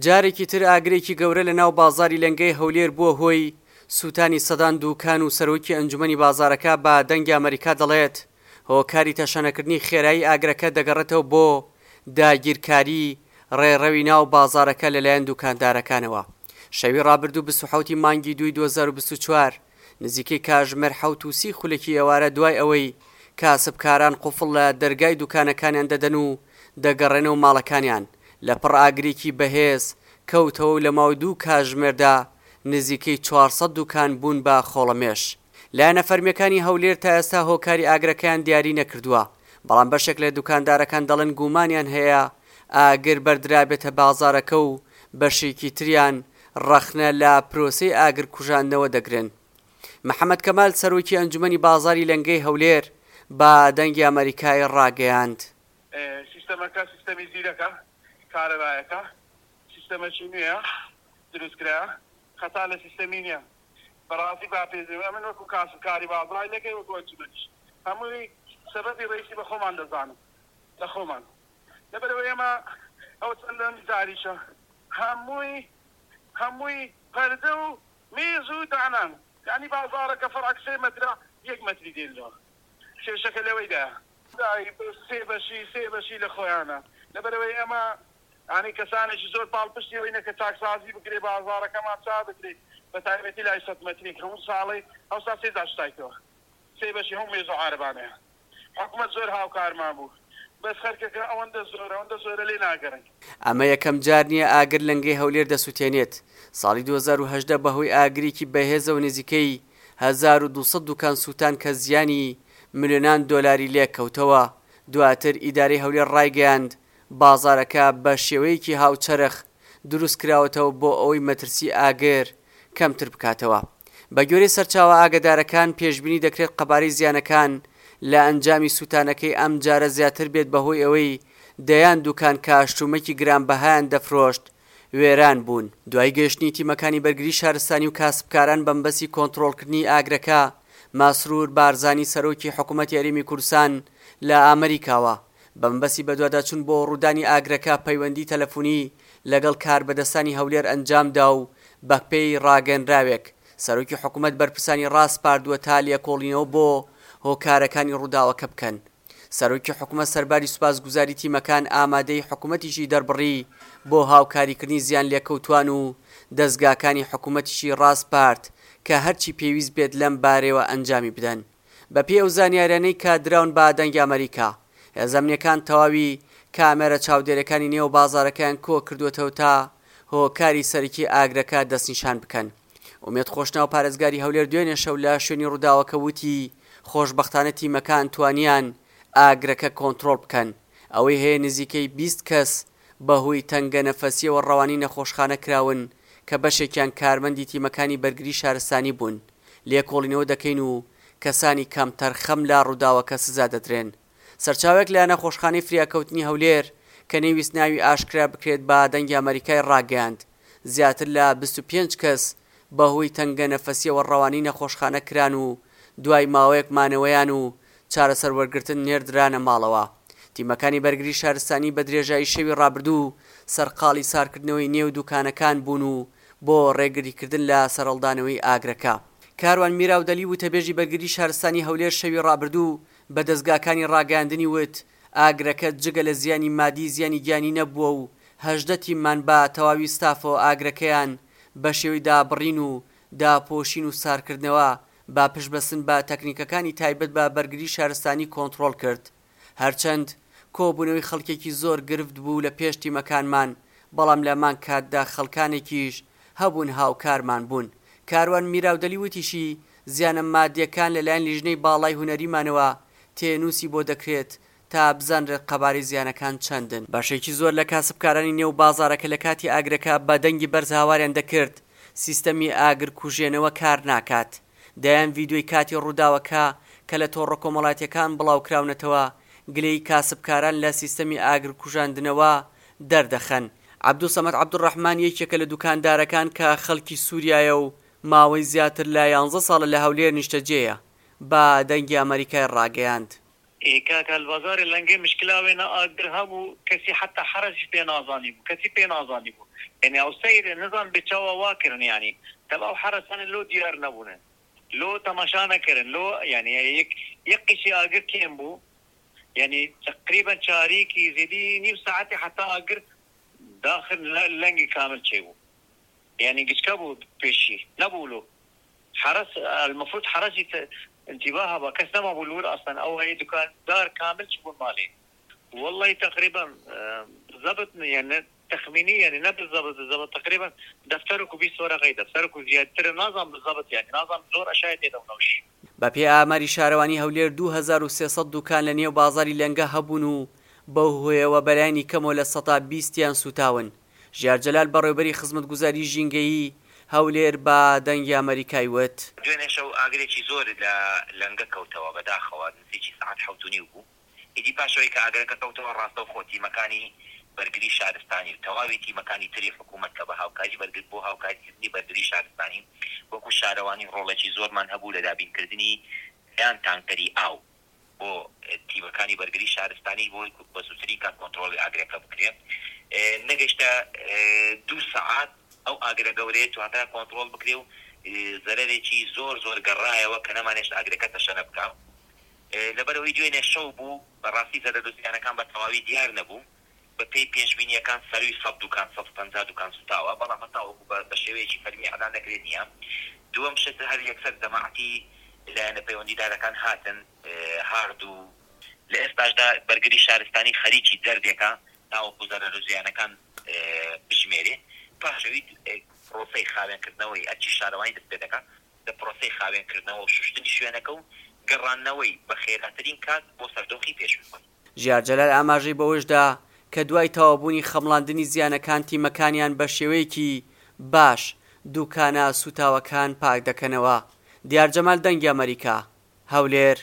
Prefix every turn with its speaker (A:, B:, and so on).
A: جارێکی تر ئاگرێکی گەورە لە ناو بازاری لەنگەی هەولێر بووە هۆی سووتانی سەدان دووکان و سەرۆکی ئەنجومەنی بازارەکە بە دەنگی ئەمەریکا دەڵێت هۆکاری تەشەنەکردنی خێرایی ئاگرەکە دەگەڕێتەوە بۆ داگیرکاری ڕێڕەوی ناو بازارەکە لەلایەن دووکاندارەکانەوە. شەوی ڕابردوو 27 ی مانگی دووی 2024 نزیکەی کاژمێر 7 و 30 خولەکی ئێوارە دوای ئەوەی کاسبکاران قوفڵ لە دەرگای دوکانەکانیان دەدەن و دەگەڕێنەوە ماڵەکانیان، لەپڕ ئاگرێکی بەهێز کەوتەوە و لە ماوەی دوو کاژمێردا نزیکەی 400 دوکان بوون بە خۆڵەمێش. لایەنە فەرمییەکانی هەولێر تا ئێستا هۆکاری ئاگرەکەیان دیاری نەکردووە، بەڵام بەشێک لە دوکاندارەکان دەڵێن گومانیان هەیە ئاگر بەردرابێتە بازاڕەکە و بەشێکی تریان ڕەخنە لە پرۆسەی ئاگرکوژاندنەوە دەگرن. محەمەد کەمال سەرۆکی ئەنجومەنی بازاڕی لەنگەی هەولێر بە دەنگی ئەمەریکای ڕاگەیاند.
B: سیستەمەکە سیستەمی زیرەکە، کارەبایەکە، سیستەمەکی نوێیە دروستکرایە، خەتا لە سیستەمی نییە، بەڕاستی با پێ ئەمن وەکو کاسبکاری بازاڕی لەکەی وەکو ئەنجومەنیش هەمووی سەبەبی ڕئیسی بە خۆمان دەزانم لە خۆمان لەبەرئەوەی ئێمە ئەوە چەندەم جاریشە هەمووی هەمووی پەردە و مێز و دانان یانی بازاڕەکە فەرعەک سێ مەترە یەک مەتری دێننەوە کێشەکە لەوەیدایە. سێ بەشی سێ بەشی لە خۆیانە لەبەرئەوەی ئێمە یانی کەسانێکی زۆر پاڵپشتی ئەوەینە کە چاکسازی بکرێ بازاڕەکەمان چاک بکرێ بەتایبەتی لای سەد مەتری هەموو ساڵێ ئەوسا سێ جار شتایتەوە سێ بەشی هەموو مێز و عارەبانەیە حکومەت زۆر هاوکارمان بوو بەس خەرکەکە ئەوەندە زۆرە ئەوەندە زۆرە لێ ناگەڕێن.
A: ئەمە یەکەم جار نییە ئاگر لەنگەی هەولێر دەسوتێنێت، ساڵی 2018 بەهۆی ئاگرێکی بەهێزەوە نزیکەی 1200 دوکان سووتان کە زیانی ملیۆنان دۆلاری لێکەوتەوە، دواتر ئیدارەی هەولێر ڕایگەیاند بازاڕەکە بە شێوەیەکی هاوچەرخ دروستکراوەتەوە بۆ ئەوەی مەترسی ئاگر کەمتر بکاتەوە. بەگوێرەی سەرچاوە ئاگەدارەکان، پێشبینی دەکرێت قەبارەی زیانەکان لە ئەنجامی سووتانەکەی ئەمجارە زیاتر بێت بەهۆی ئەوەی دەیان دوکان کە شتومەکی گرانبەهایان دەفرۆشت وێران بوون. دوای گەیشتنی تیمەکانی بەرگری شارستانی و کاسبکاران بەمەبەستی کۆنتڕۆڵکردنی ئاگرەکە، مەسرور بارزانی سەرۆکی حکومەتی هەرێمی کوردستان لە ئامریکاوە بەمەبەستی بەدواداچوون بۆ ڕوودانی ئاگرەکە پەیوەندی تەلەفونی لەگەڵ کاربەدەستانی هەولێر ئەنجامدا و بەپێی ڕاگەنراوێک سەرۆکی حکومەت بەرپرسانی ڕاسپاردووە تا لێکۆڵینەوە بۆ هۆکارەکانی ڕووداوەکە بکەن. سەرۆکی حکومەت سەرباری سوپاسگوزاری تیمەکان ئامادەیی حکومەتیشی دەربڕی بۆ هاوکاریکردنی زیانلێکەوتووان و دەزگاکانی حکومەتیشی ڕاسپارد کە هەرچی پێویست بێت لەم بارەیەوە ئەنجامی بدەن. بەپێی ئەو زانیاریانەی کە دراون بە دەنگی ئەمەریکا، هێزە ئەمنییەکان تەواوی کامێرە چاودێرییەکانی نێو بازاڕەکەیان کۆکردووەتەوە تا هۆکاری سەرەکی ئاگرەکە دەستنیشان بکەن. ئومێد خۆشناو پارێزگاری هەولێر دوێنێ شەو لە شوێنی ڕووداوەکە وتی، خۆشبەختانە تیمەکان توانیان ئاگرەکە کۆنترۆڵ بکەن. ئەوەی هەیە نزیکەی 20 کەس بەهۆی تەنگەنەفەسییەوە ڕەوانەی نەخۆشخانە کراون کە بەشێکیان کارمەندی تیمەکانی بەرگری شارستانی بوون. لێکۆڵینەوە دەکەین و کەسانی کەمتەرخەم لە ڕووداوەکە سزا دەدرێن. سەرچاوەیەک لە نەخۆشخانەی فریاکەوتنی هەولێر کە نەیویست ناوی ئاشکرا بکرێت بە دەنگی ئەمەریکای ڕاگەیاند، زیاتر لە 25 کەس بەهۆی تەنگەنەفەسییەوە ڕەوانەی نەخۆشخانە کران و دوای ماوەیەک مانەوەیان و چارەسەر وەرگرتن نێردرانە ماڵەوە. تیمەکانی بەرگری شارستانی بە درێژایی شەوی ڕابردوو سەرقاڵی سارکردنەوەی نێو دوکانەکان بوون و بۆ ڕێگریکردن لە سەرهەڵدانەوەی ئاگرەکە. کاروان میراودەلی وتەبێژی بەرگری شارستانی هەولێر شەوی ڕابردوو بە دەزگاکانی ڕاگەیاندنی وت، ئاگرەکە جگە لە زیانی مادی زیانی گیانی نەبووە و 18 تیممان بە تەواوی ستافەوە ئاگرەکەیان بە شێوەی دابڕین و داپۆشین و سارکردنەوە بە پشتبەستن بە تەکنیکەکانی تایبەت بە بەرگری شارستانی کۆنتڕۆڵ کرد. هەرچەند کۆبوونەوەی خەڵکێکی زۆر گرفت بوو لە پێش تیمەکانمان، بەڵام لە هەمان کاتدا خەڵکانێکیش هەبوون هاوکارمان بوون. کاروان میراودەلی وتیشی، زیانە مادییەکان لەلایەن لیژنەی باڵای هونەریمانەوە تێنووسی بۆ دەکرێت تا بزانرێت قەبارەی زیانەکان چەندن. بەشێکی زۆر لە کاسبکارانی نێو بازاڕەکە لە کاتی ئاگرەکە بە دەنگی بەرز هاواریان دەکرد، سیستەمی ئاگرکوژێنەوە کار ناکات. دەیان ڤیدیۆی کاتی ڕووداوەکە کە لە تۆڕە کۆمەڵاتییەکان بڵاوکراونەتەوە، گلەیی کاسبکاران لە سیستەمی ئاگرکوژاندنەوە دەردەخەن. عەبدولسەمەد عەبدولڕەحمان یەکێکە لە دوکاندارەکان کە خەڵکی سووریایە و ماوەی زیاتر لە یانزە ساڵە لە هەولێر نیشتەجێیە، بە دەنگی ئەمەریکای ڕاگەیاند.
C: ئێ کاکە لبازارێ لەنگێ مشکلا وێنە ئاگر هەبوو کەسی حەتا حەرەسیش پێ نازانی بوو کەسی پێ نازانی بوو یانی ئەو سەیرە نزان بێ چاوا وا کرن یانی تەب ئەو حەرەسانە لۆ دیار نەبوونن لۆ تەماشا نەکرن لۆ یانی یەک یەک قیچی ئاگر کێم بوو یانی تەقریبەن چاریکی زێدی نیو ساعەتی حەتا ئاگر داخل لەنگی کامل چێ بوو یانی گچکە بوو پێشی نەبوو لۆ حەرەس المفروض حەرەسی انتباه هەبا کەس نەمابوو لور ئەسڵەن ئەو هەیە دوکان دار کامل چبوون مالێ واللەی تەقریبا بالزبط یان تەخمینی یانی نە بالزبط بالزبط تەقریبا دەفتەرک و 20 وەرەقەی دەفتەرک و زیاتر نازانم بالزبط یانی نازانم زۆر ئەشای تێدەم نەوش.
A: بە پێی ئاماری شارەوانی هەولێر 2300 دوکان لە نێو بازاری لەنگە هەبوون و بەو هۆیەوە بەلایەنی کەمەوە 20% یان سووتاون. ژیار جەلال بەڕێوبەری خزمەتگوزاری ژینگەیی هەولێر بە دەنگی ئەمەریکای وت.
D: دوێنێ شەو ئاگرێکی زۆر لە لەنگە کەوتەوە، بەداخەوە نزیکی سەعات حەوت و نیو بوو، ئیدی پاش ئەوەی کە ئاگرەکە کەوتەوە ڕاستەوخۆ تیمەکانی بەرگری شارستانی و تەواوی تیمەکانی تری حکوومەت کە بە هاوکاری بەرگر بۆ هاوکاریکردنی بەرگری شارستانی وەکوو شارەوانی ڕۆڵێکی زۆرمان هەبوو لە دابینکردنی دەیان تانکەری ئاو بۆ تیمەکانی بەرگری شارستانی بۆی بە زووترین کات کۆنترۆڵی ئاگرەکە بکرێت. نەگەیشتە دوو سەعات ئەو ئاگرە گەورەیە توانرا کۆنترۆڵ بکرێ و زەرەرێکی زۆر زۆر گەڕایەوە کە نەمانهێشت ئاگرەکە تەشەنە بکا. لەبەرئەوەی دوێنێ شەو بوو بەڕاستی زەرەر و زیانەکان بە تەواوی دیار نەبوو. بە پێی پێشبینییەکان سەرووی سەد دوکان، 150 دوکان سوتاوە، بەڵام هەتاوەکو بە بە شێوەیەکی فەرمی ئیعلان نەکرێت نییە. دووەم شت هەر یەکسەر جەماعەتی لایەنە پەیوەندیدارەکان هاتن هارد و لە ئێستاشدا بەرگری شارستانی خەریکی جەردێکە تاوەکو زەرەر و زیانەکان بژمێرێ. پاش ئەوی پرۆسەی خاوێنکردنەوەی ئەرکی شارەوانی دەست پێدەکات. لە پرۆسەی خاوێنکردنەوە و شوشتنی شوێنەکە و گەڕاندنەوەی بە خێراترین کات بۆ سەر دۆخی پێشووی خۆی.
A: ژیار جەلال ئاماژەی بەوەشدا کە دوای تەواوبوونی خەمڵاندنی زیانەکان تیمەکانیان بەشێوەیەکی باش دوکانە سوتاوەکان پاکدەکەنەوە. دیار جەمال دەنگی ئەمەریکا، هەولێر.